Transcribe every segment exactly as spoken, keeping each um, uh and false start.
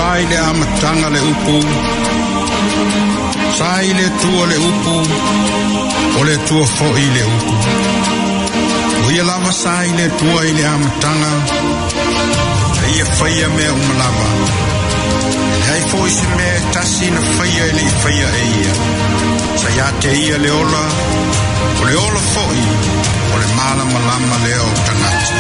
Sa i le amataga le upu, sa i le Atua le upu, o le Atua foi le upu. O ia lava sa i le Atua i le amataga, e ia faia mea uma lava. E leai foi se mea e tasi na faia e le i faia e ia. Sa ia te ia le ola, o le ola foi, o le malamalama lea o tagata.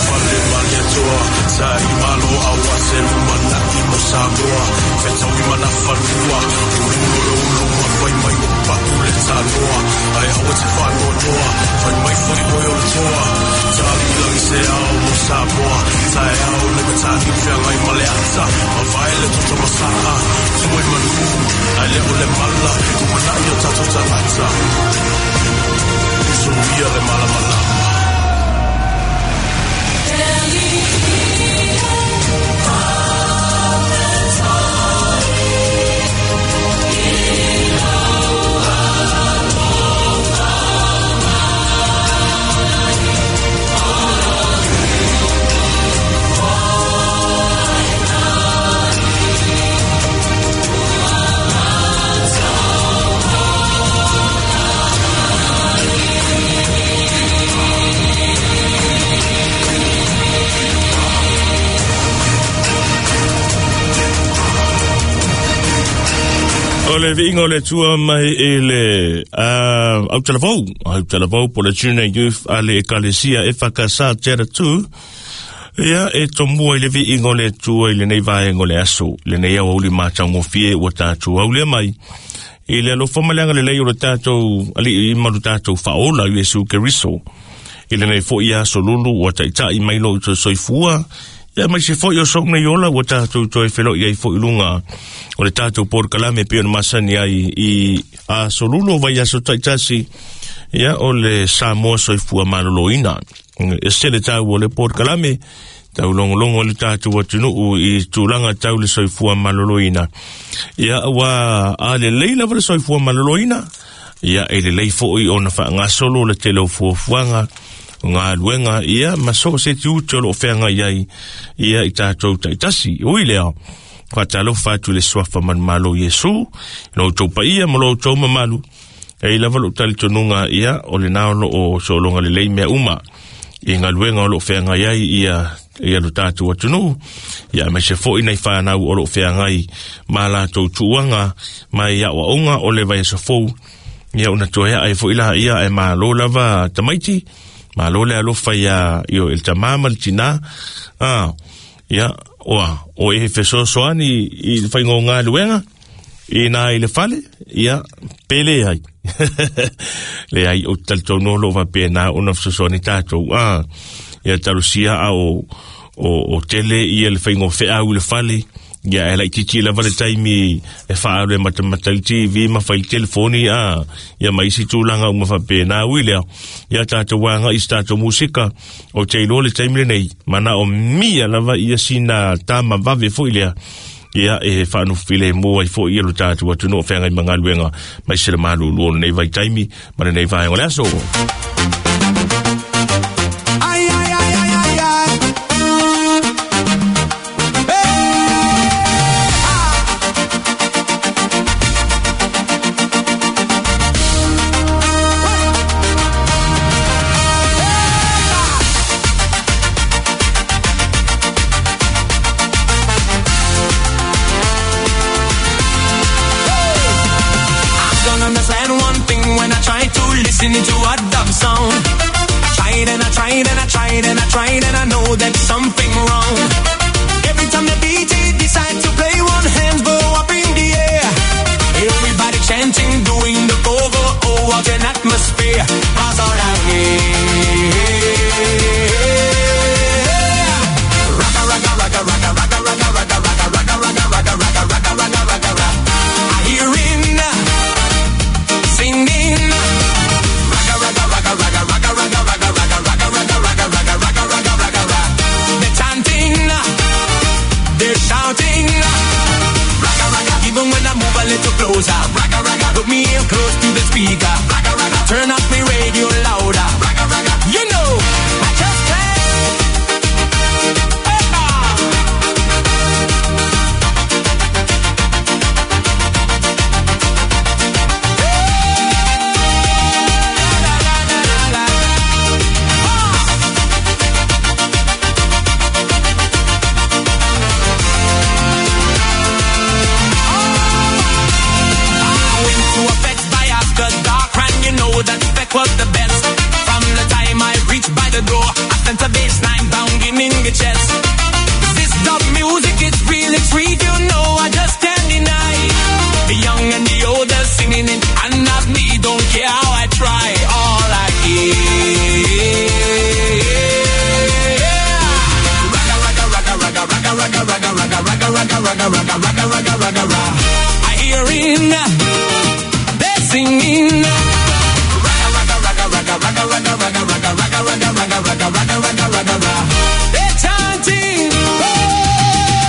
Fale maliatoa, sa i malo aua se lumanai mo Samoa. Fetaui mana fanua, ulu lo ulu ma fai mai o patu le tanoa. Ai aua te whanoa, fai mai fai oi o le toa. Tali langi se ao mo Samoa, tae ao le matani whiangai ma le ata. Ma vai le toto masaa, tue manu, ai le o le mala, umanai o tato tangata. Usuia le malamalama. O le viiga o le Atua mai i le uh, autalavou, autalavou po le Junior Youth a le Ekalesia e whakasa te ratu. Ia e tomua i le viiga o le Atua i lenei vaega o le aso, lenei aoauli matagofie ua tatou aulea mai. I le alofa ma le agalelei o le tatou alii ma lo tatou faaola Iesu Keriso. I lenei foi aso lulu ua taitai mai lo i soifua. Ia mai se foi o sou nei ola ua tatou toe feloi ai foi lunga o le tatou porokalame pei ona masani ai i aso lulu o vai aso taitasi. Ia o le Samoa soifua maloloina. E se le tau o le porokalame tau longolongo le tatou atunuu i tulaga tau le soifua maloloina. Ia ua a lelei lava le soifua maloloina. Ia e lelei foi ona faagasolo le tele o fuafuaga galuega ia ma so se tiute o loo feagai ai ia i tatou taitasi. Ui lea, faatalofa atu i le suafa manumalo Iesu, lo outou paia ma lo outou mamalu. E i lava lou talitonuga ia o lena o loo sologa lelei mea uma i galuega o loo feagai ai ia ia lo tatou atunuu. Ia aemaise foi nai fanau o loo feagai ma latou tuuaga mai aoaoga o le vaiaso fou. Ia ona toe ae foi la ia e malo lava tamaiti. Malo le alofa ia io el tamā ma le tinā. Ah, ia, oa, o e fesoasoani i le faiga o galuega, i nā i le fale, ia, pe leai. Leai, o te talitonu o loo faapena ona fesoasoani tatou. Ah, ia talosia a o, o, o tele ia le faiga o feau i le fale. Ia e laititi lava le taimi e faaalu e matamata i le T V ma fai le telefoni a ia ma isi tulaga uma faapena. Ui lea, ia tatou agai i se tatou musika o te iloa le taimi lenei manao mia lava ia sina tama vave foi lea. Ia e faanofilemu ai foi ia lo tatou atunuu o feagai ma galuega mai se le malulu o lenei vaitaimi ma lenei vaega o le aso. Ai, ai, ai, ai, ai, ai. Listening to a dub song. I tried and I tried and I tried and I tried and I know that something wrong. Every time the D J decides to play, one hand go up in the air. Everybody chanting, doing the go-go. Oh, what an atmosphere. That's all I need. Rocka, rocka, rocka, rocka, rocka, rocka, rocka, rocka, rocka, rocka, rocka, rocka, rocka, rocka, rocka, rocka. I hear him singing. Shouting, rocka, rocka, even when I move a little closer, rocka, rocka, put me in close to the speaker, rocka, rocka, turn up me radio louder, rocka, rocka, you know, I just can't. ragga, ragga, ragga, ragga, ragga, ragga, ragga. I hearing they're singing. Ragga, ragga, ragga, ragga, ragga, ragga, ragga, ragga, ragga, ragga, ragga, ragga, ragga, ragga, ragga, ragga. They're chanting, oh,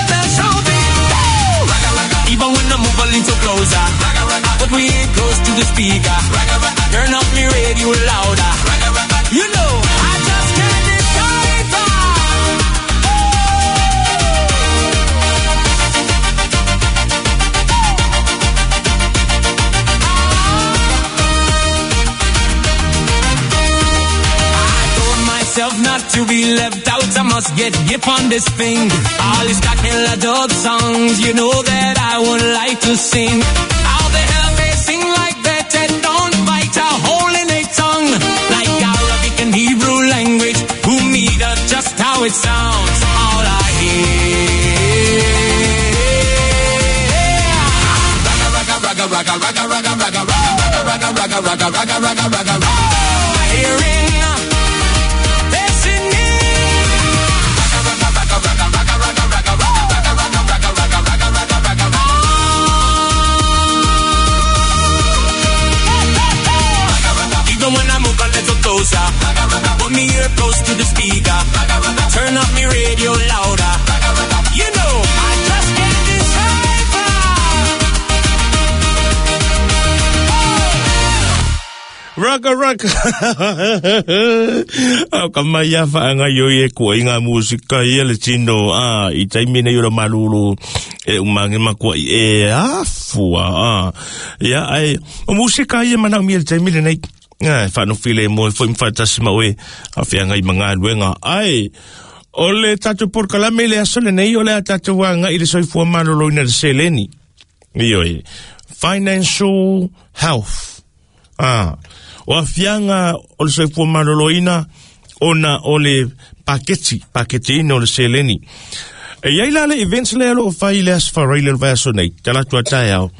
they're shouting, oh. Ragga, ragga. Even when I move a little closer, ragga, ragga. But we ain't close to the speaker. Ragga, ragga. Turn up me radio louder. Ragga, ragga. You know, I just can't decipher. Not to be left out, I must get hip on this thing. All these killer dub songs, you know that I would like to sing. How the hell they sing like that and don't bite a hole in a tongue? Like Arabic and Hebrew language, who meet up just how it sounds. All I hear. Ragga, ragga, ragga, ragga, ragga, ragga, ragga, ragga, ragga, ragga, ragga, ragga, ragga, ragga. Hearing. Closer. Put me ear close to the speaker. Turn up me radio louder. You know, I just can't decipher. Raka raka. Au ka mai a whaanga ioi e kua i ngā musika ia le tino. Ah, i taimina i ora malulu e umange makua i e afua. Ah. Ia, ai, o musika ia manau mi le taimina nei. Ai, whanofile mo e fo imwhatasi ma oe a whianga i mga luenga. Ai, o le tātou porkalame le aso le nei, o le a tātou wanga i le soifua malolo ina le seleni. Ioi, financial health. Ah, o a whianga o le soifua malolo ina, ona o le paketi, paketi ina o le seleni. E iai la le events le alo o whai le asfarai le vaso nei, talatu a tae au.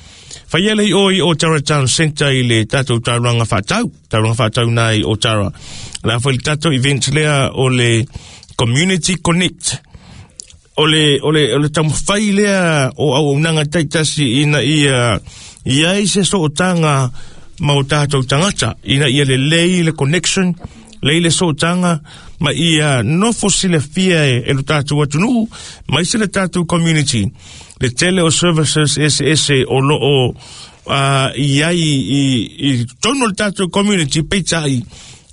Whai ele i oi o Tara Town Centre i le tātou tauranga whātau, tauranga whātau nai o Tara. La whai le tātou event lea o le Community Connect. O le, o le, o le taumawhai lea o au unanga taitasi ina ia, ia i se sootanga ma o tātou tangata. Ina ia le lei le connection, lei le sootanga, ma ia nofo silafia e, e lo tātou atunuu, ma ise le tātou community. Le tele o services S S o lo o uh, i ai i, i tono le tātou community peitai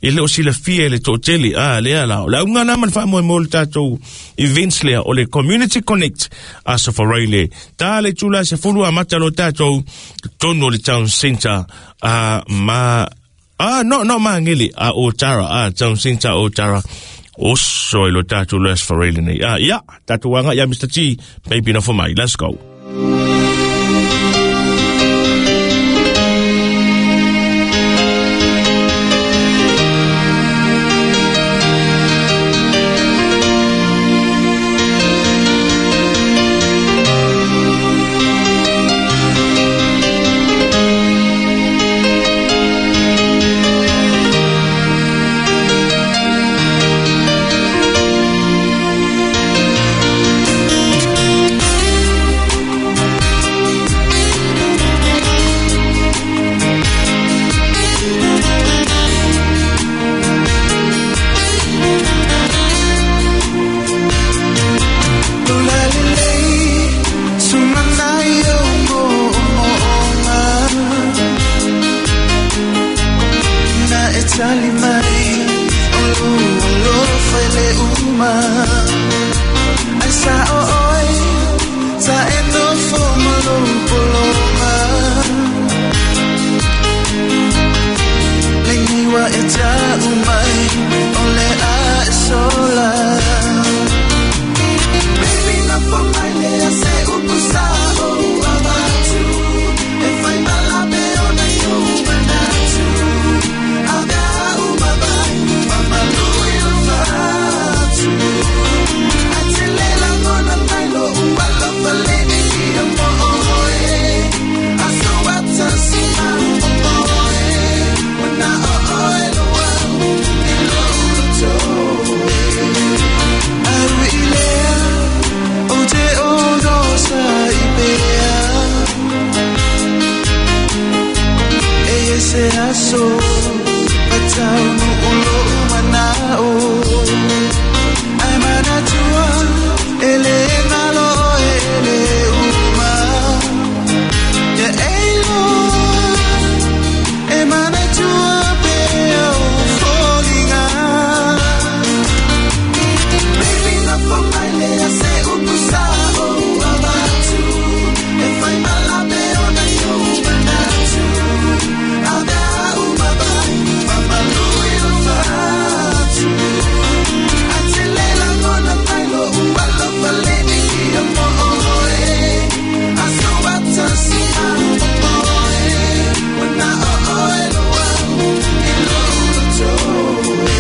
i leo silafia le tōtele. Ah, lea la. O la unga nama le whaamoe mo le tātou events lea o le Community Connect a Safarai le. Tā le tūla se fulu a mata lo tātou tono le town centre a ma... Ah, no, no, maangele a o Tara, ah, town centre o Tara. Oso e lo tātou le Safarai le nei. Ah, ia, tātou anga, ia Mister T, baby na for mai. Let's go. Thank aso Pataunu ulo manao Ai manatua ele ngalo ele uma Ya elo E manatua pe o folinga Baby na po mai lea se upusa o abatu E fai malape o na yo manatu Aga umabai mamalui o fatu Atelela ngona mailo ualo faleni ia mo oe Aso atasi a oe Wana o oe loa ilo ulotoe.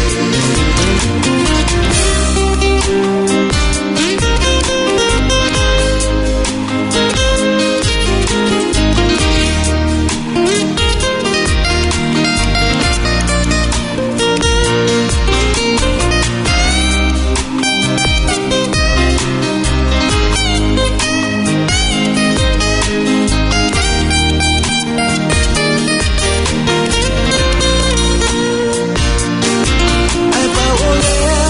Ai paolea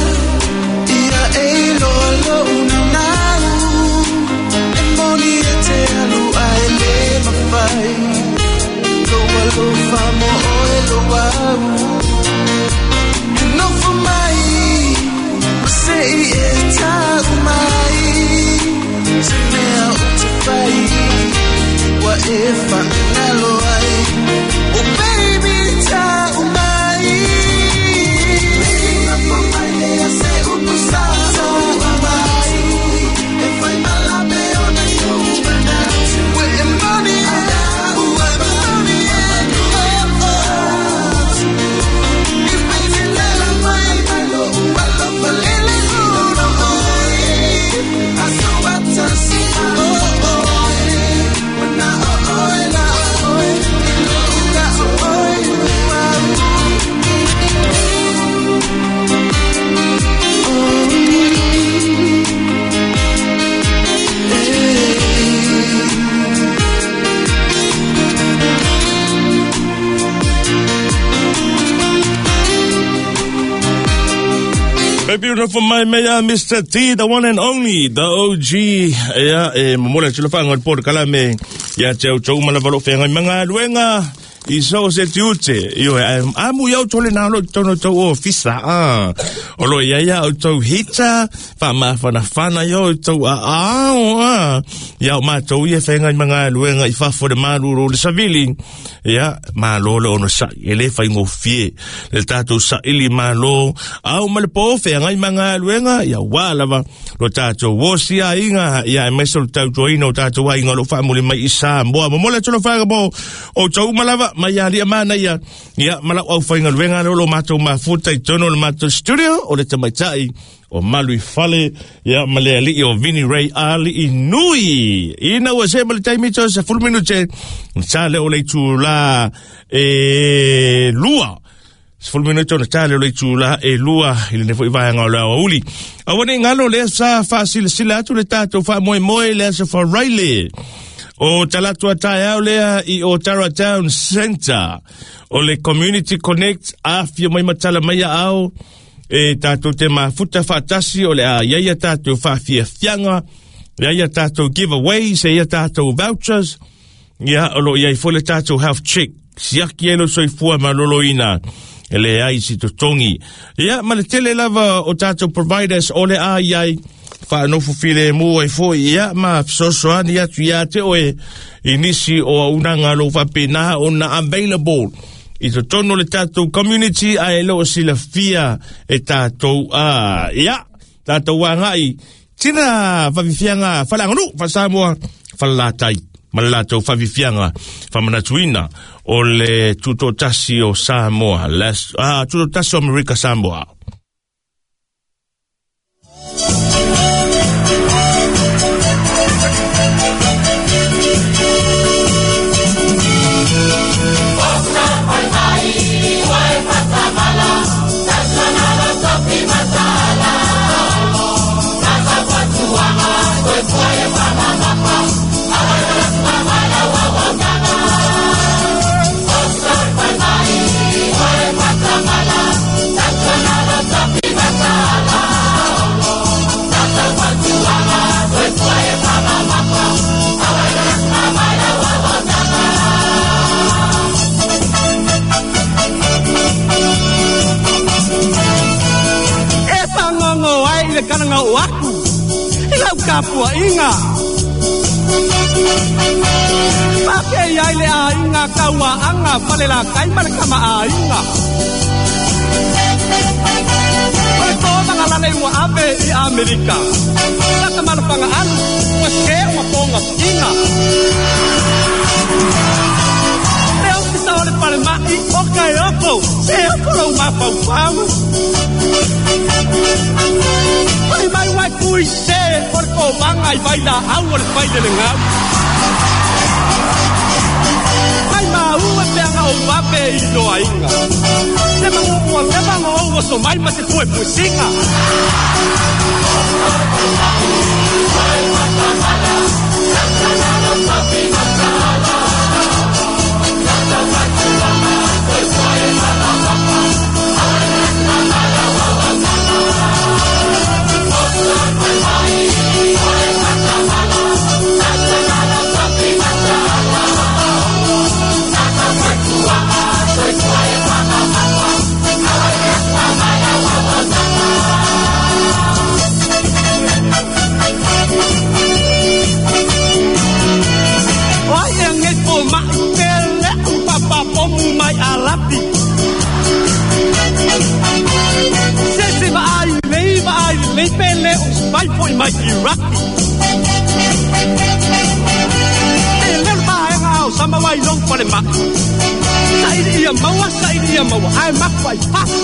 ia e loa lou naunau E moni e te alu ae le mawhai Lou alofa mo oe lou au E nofo mai ma sei e tau mai Se mea o te whai Wa e whaangalo ai Oh baby tau mai Baby na po mai lea se upusa o abatu E fai malape o na yo manatu E moni e ua moni e I petelela mai mai lo ua lo falele uno oe Aso atasi a oe Wana o oe la oe Ilo uka oe ua. Baby, for my mayor, Mister T, the one and only, the O G. Ia, e momola tula whaanga por kalame. Ia te au tau mana valo whenga mga luenga. I so se te ute. Io, amu iau tole nā lo tono tau o fisa. Ah. Olo ia ia au tau hita. Wha mawhana whana ia au tau a ao. Ah. Ia o mātou ia whenga mga luenga i whafo le maruro le savili. Ia, malo le ono sa ele whai ngofie. Le tātou sa ili malo. Au ma le po whenga i mga luenga. Ia wālawa. Lo tātou wosi a inga. Ia e meso le tau toina o tātou a inga lo whaamuli mai i Samoa. Momola tolo whaanga mo o tau malawa. Mai ali amana ia ia malau au whainga luenga lo mātou mafuta i tono le mātou studio o le tamaitai o Malui Fale ia ma le ali'i o Vini Ray ali'i nui ina ua se ma le taimi to sa fulu minute sa le o le itula e lua sefulu minute ona tale o le itula e lua i lene fo'i vaega o le aoauli aua nei galo lea sa faasilasila atu le tatou faamoemoe le aso Faraile o talatu ataeao lea i o Tara Town Centre o le Community Connect afia mai matala mai ao e tātou te mafuta faatasi o le a ia ia tātou faafiafiaga ia ia tātou giveaways ia ia tātou vouchers ia o lo ia i fo le tātou health check siaki e lo soifua maloloina e le ai si totogi ia ma le tele lava o tātou providers o le a iai whaanofu file mua i foi ia ma fesoasoani atu ia te oe i nisi o aunaga lou faapena ona available i totonu le tātou community ae le o silafia e tātou a ia tātou agai tina fafifiaga faleaganuu faasamoa falelatai ma le latou fafifiaga faamanatuina o le tutotasi o Samoa ah, tutotasi o Amerika Samoa. Bye. Tapuaʻiga Pake ai le aiga kauaaga falelakai ma le kamaʻāiga O le tovaga lale ua ave i Amerika Lakamalofagaʻalu ua se ua poga piʻiga Le ofisa o le falemaʻi o ka e oko se oko lou mafaufau Mai mai wai kui se o le kovaga i vailaau o le failelegau Mai maua peaga ou vape i loaiga Se maguʻua fevaga ou oso mai ma se puepuesiga Mai alapi Se se vaai lei vaai lei pele o spai foi mai Iraki E leo vaega au sama wai long pale mai Saili ia maua, saili ia maua, ai maku ai papu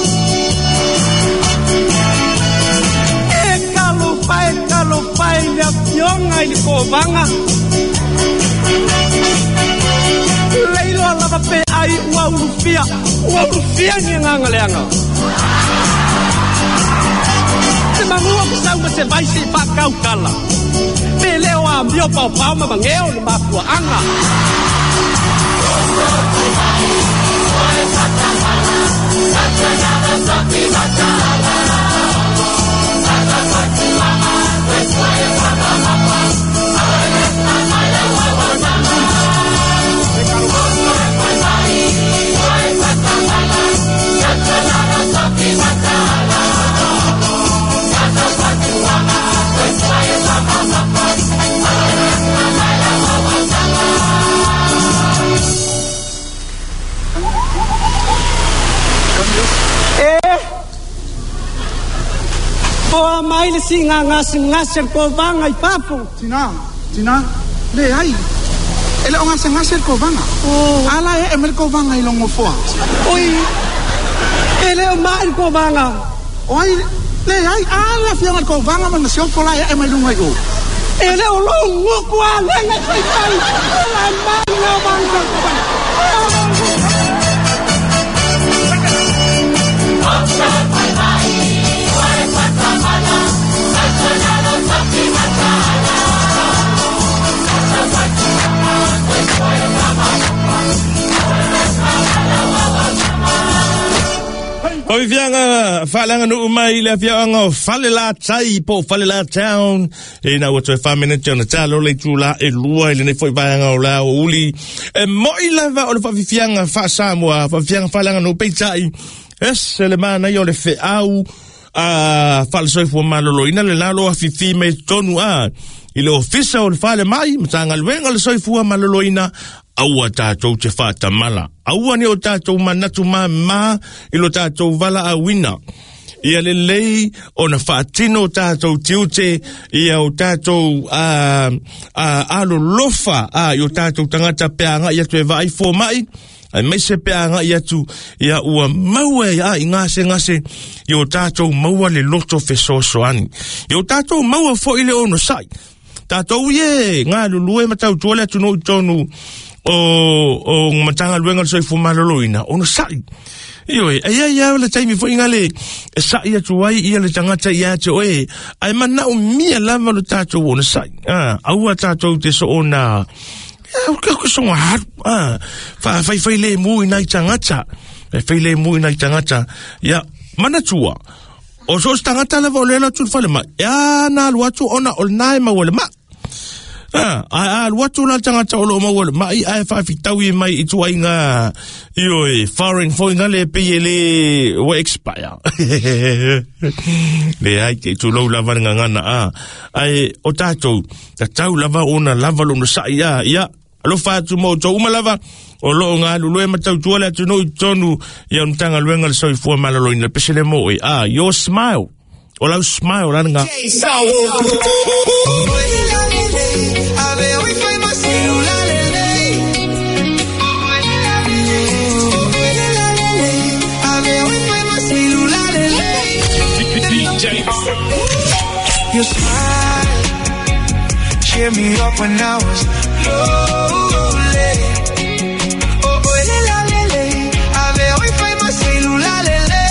E kalofa, e kalofa i le afioga i le kovaga Leiloa lava pe ai ua ulufia, ua ulufia ni agaga leaga Se magua ke sau ma se vai se i faakaukala Pe leo amio paopao ma mageo le mafuaaga Poa mai le siʻigagasegase le kovaga i fafo Tina, tina, leai E le o gasegase le kovaga Ala e e mai le kovaga i logofoa Oi, e le o maʻi le kovaga O ai, leai, a le afioga le kovaga ma na siofo la e e mai luga i o E le o louguku alega e faifai O la mai gaovaga Fafifiaga faaleaganuu mai le afiaoga o Falelatai po o Falela Town e na ua toe faaminute ona talo le itulā e lua i lenei fo'i vaega o le aoauli e mo'i lava o le faafifiaga faasamoa faafifiaga faaleaganuu peita'i ese le manaia o le feau a faalesoifua maloloina le lalo afifi mai tonu a i le ofisa o le falemai matagaluega o le soifua maloloina aua tātou te faatamala aua ni o tātou manatu mamā i lo tātou valaauina ia lelei ona faatino o tātou tiute ia o tātou uh, uh, alolofa uh, i o tātou tagata pe agaʻi atu e vaai fomaʻi ai mai se pe agaʻi atu ia ua maua e a i gasegase i o tātou maua le loto fesoasoani i o tātou maua foʻi le onosaʻi tātou ie galulue ma tautua le atunuu i tonu o o matagaluega o le soifua maloloina onosaʻi Ioe, ai ai ai le taimi foʻi le e saʻi atu ai ia le tagata ia te oe ae manaʻomia lava lo tatou onosaʻi a aua tatou te soona ka songa haru a faafaifai lemu i nai tagata e fai lemu i nai tagata ia manatua o so se tagata lava o le alo atu i le falemai e a na alu atu ona o lenā e maua le maʻi Ah, a alu atu la tagata o loo maua le ma'i ae faafitaui mai i tuaiga ioe foreign foi ga le pei e lē ua expire. Leai te tulou lava le gagana a ae o tatou tatau lava ona lava lona sa'i a ia alofa atu ma outou uma lava o loo galulue ma tautua le atunuu i totonu ia o Matagaluega le Soifua Maloloina le pese le mo e a your smile o lau smile la lega. Your smile cheer me up when I was lonely. Oh, oh, le, la, le, le. Ave hoy fai ma le, le.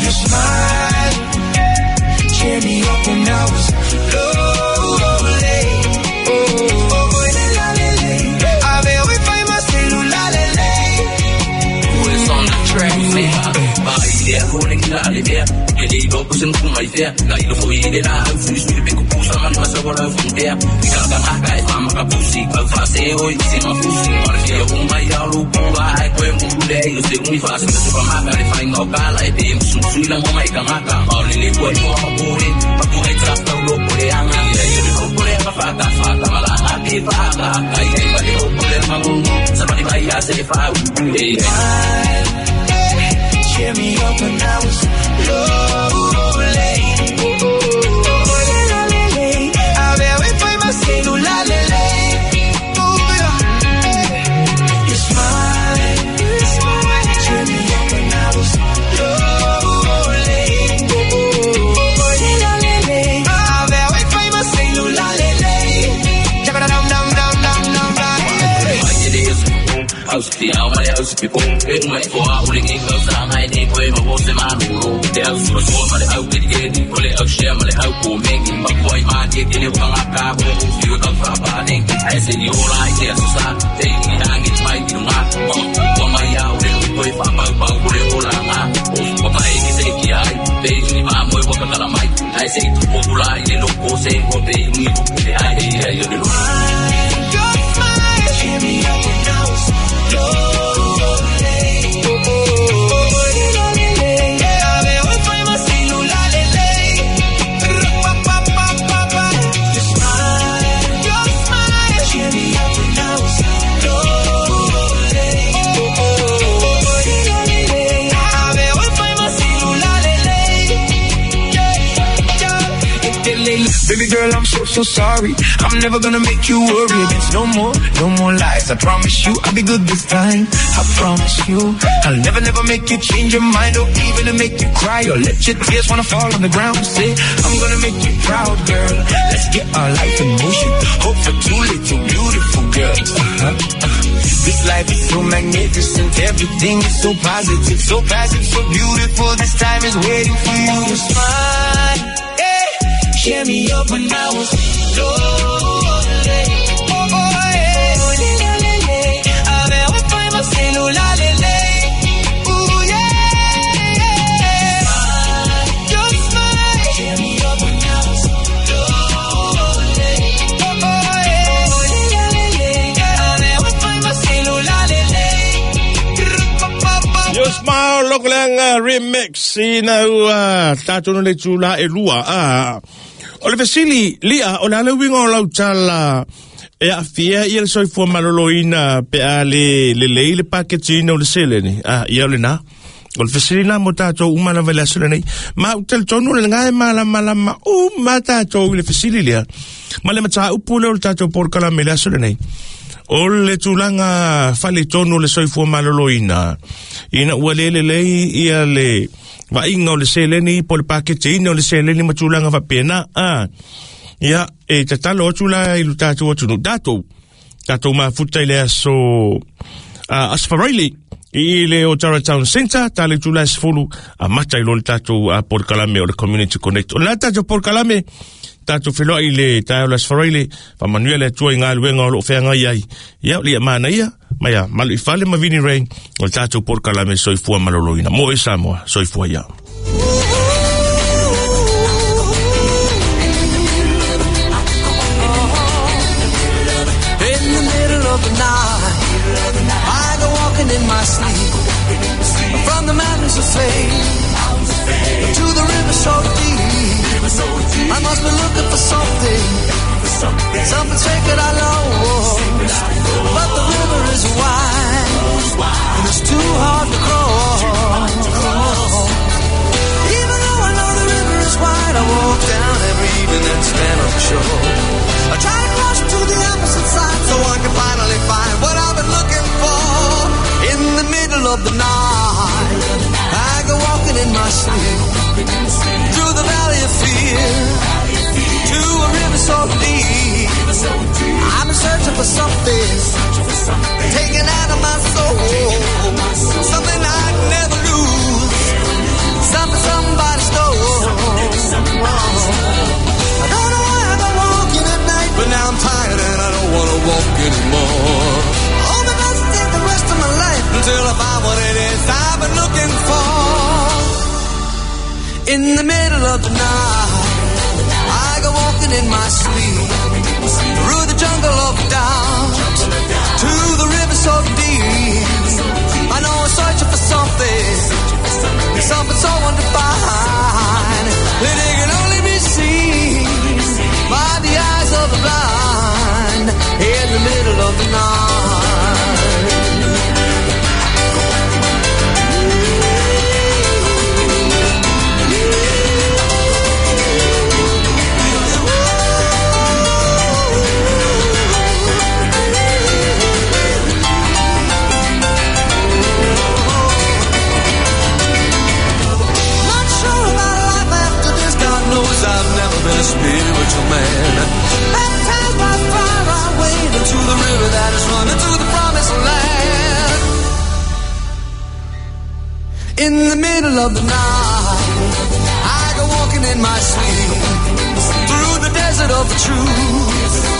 Your smile cheer me up when I was lonely. Oh, oh, oh, le, la, le, le. Ave hoy fai ma le, le. Who is on the track? Cheer me up when I was lonely. Oh, oh, oh, le, la, le, le. Ave hoy fai ma celular, le, le. Oh, yeah. Your smile, cheer me up when I was lonely. Oh, oh, oh, le, la, le, le. Ave hoy fai ma celular, le, le. Cheer me up when I was lonely. Oh, oh, oh, le, la, le, le. Ave hoy fai ma celular, le, le. Pa, pa, pa, pa, pa. Your smile, your smile. Cheer me up when I was lonely. Oh, oh, oh, le, la, le, le. Ave hoy fai ma celular, le, le. Yeah, yeah. Baby girl, I'm so, so sorry. I'm never gonna make you worry again. No more, no more lies. I promise you, I'll be good this time. I promise you, I'll never, never make you change your mind or even to make you cry or let your tears wanna fall on the ground. Say, I'm gonna make you proud, girl. Let's get our life in motion. Hope for two little beautiful girls. Uh-huh, uh-huh. This life is so magnificent. Everything is so positive, so passive, so beautiful. This time is waiting for you to smile. Yeah. Cheer me up when I was lonely. Oh, oh, yeah. Oh, le, le, le, le. Ave hoy fai ma celular, le, le. Ooh, yeah. Your smile. Cheer me up when I was lonely. Oh, oh, yeah. Oh, le, le, le, le. Ave hoy fai ma celular, le, le. Your smile, Lokolanga remix ina ua tātou no le tula e lua a. O le fesili, lia, o le aleuinga o lau tala e afia ia le soifua maloloina pe a le le lei le paketina o le seleni. Ah, ia o le nā. O le fesili nā mo tātou uma lava le aso lenei. Ma u talitonu le ngai malamalama uma tātou i le fesili lea. Ma le mataupu lea o le tātou polokalame le aso lenei. O le tulaga faletonu o le soifua maloloina. Ina ua le lelei ia le vaaiga o le seleni po le paketeina o le seleni ma tulaga faapena a. Ia e tatalo atu la i lo tatou atunuu tatou tatou mafuta i le aso uh, Asfaraili i le Otara Town Centre ta le tula e sefulu a mata i lo le tatou uh, polokalame o le Community Connect. O le tatou polokalame tatou feloai le taeao le Asfaraili faamanuia le Atua i galuega o loo feagai ai. Ia o le ia manaia ma ia malu i fale ma Vini Rain o le tatou polokalame soifua maloloina. Mo e Samoa, soifua ia. walking in my sleep from the mountains of fame to the river so deep. I must be looking for something, something sacred I lost. But the river is wide and it's too hard to cross. Even though I know the river is wide, I walk down every evening and stand on the shore. I try to cross to the opposite side so I can finally find what I've been looking for. In the middle of the night, I go walking in my sleep through the valley of fear to a river so deep. I'm searching for something taken out of my soul, something I'd never lose, something somebody stole. I don't know why I go walking at night, but now I'm tired and I don't wanna walk anymore. Hope it doesn't take the rest of my life until I find what it is I've been looking for. In the middle of the night, I go walking in my sleep through the jungle of doubt to the river so deep. I know I'm searching for something, something so undefined that it can only be seen by the eyes of the blind in the middle of the night. I've never been a spiritual man. Baptized by fire, I wade into the river that is running to the promised land. In the middle of the night, I go walking in my sleep through the desert of the truth